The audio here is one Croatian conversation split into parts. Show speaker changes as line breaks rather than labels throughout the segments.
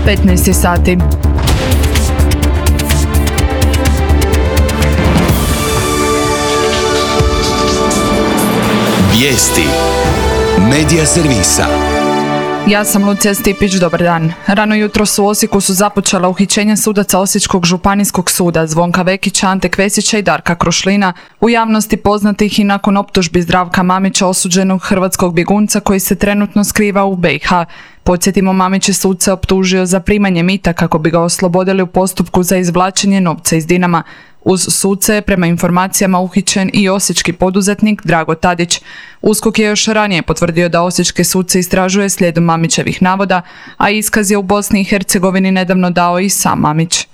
15 sati.
Vijesti Medija servisa.
Ja sam Lucija Stipić, dobar dan. Rano jutros u Osijeku su započela uhićenja sudaca Osječkog županijskog suda Zvonka Vekića, Ante Kvesića i Darka Krušlina, u javnosti poznatih i nakon optužbi Zdravka Mamića, osuđenog hrvatskog bjegunca koji se trenutno skriva u BiH. Podsjetimo, Mamić je suce optužio za primanje mita kako bi ga oslobodili u postupku za izvlačenje novca iz Dinama. Uz suce je prema informacijama uhićen i osječki poduzetnik Drago Tadić. USKOK je još ranije potvrdio da osječke suce istražuje slijedom Mamićevih navoda, a iskaz je u Bosni i Hercegovini nedavno dao i sam Mamić.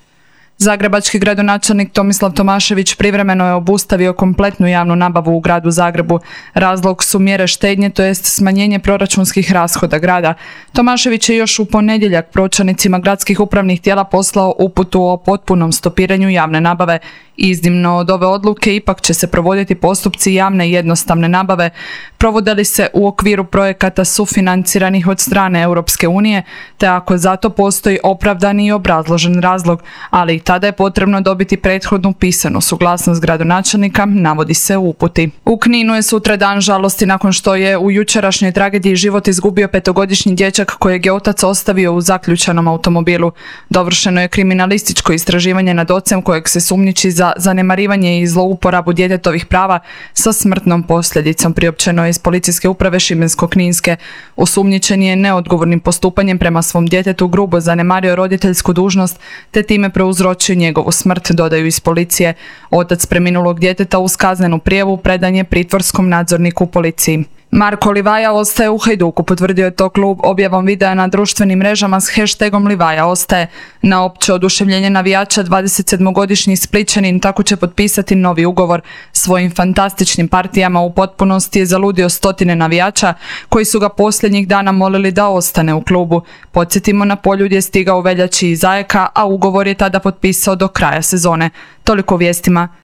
Zagrebački gradonačelnik Tomislav Tomašević privremeno je obustavio kompletnu javnu nabavu u gradu Zagrebu. Razlog su mjere štednje, to jest smanjenje proračunskih rashoda grada. Tomašević je još u ponedjeljak pročelnicima gradskih upravnih tijela poslao uputu o potpunom stopiranju javne nabave. Iznimno od ove odluke ipak će se provoditi postupci javne i jednostavne nabave. Provode li se u okviru projekata sufinanciranih od strane Europske unije, te ako zato postoji opravdani i obrazložen razlog, ali i tada je potrebno dobiti prethodnu pisanu suglasnost gradonačelnika, navodi se u uputi. U Kninu je sutra dan žalosti nakon što je u jučerašnjoj tragediji život izgubio 5-godišnji dječak kojeg je otac ostavio u zaključanom automobilu. Dovršeno je kriminalističko istraživanje nad ocem kojeg se sumnjiči za zanemarivanje i zlouporabu djetetovih prava sa smrtnom posljedicom, priopćeno je iz policijske uprave Šibensko-kninske. Osumnjičen je neodgovornim postupanjem prema svom djetetu grubo zanemario roditeljsku dužnost te time prouzročio njegovu smrt, dodaju iz policije. Otac preminulog djeteta uz kaznenu prijavu predan je pritvorskom nadzorniku u policiji. Marko Livaja ostaje u Hajduku, potvrdio je to klub objavom videa na društvenim mrežama s hashtagom Livaja ostaje. Na opće oduševljenje navijača 27-godišnji Splićanin tako će potpisati novi ugovor. Svojim fantastičnim partijama u potpunosti je zaludio stotine navijača koji su ga posljednjih dana molili da ostane u klubu. Podsjetimo, na Poljud je stigao u veljači iz Ajeka, a ugovor je tada potpisao do kraja sezone. Toliko o vijestima.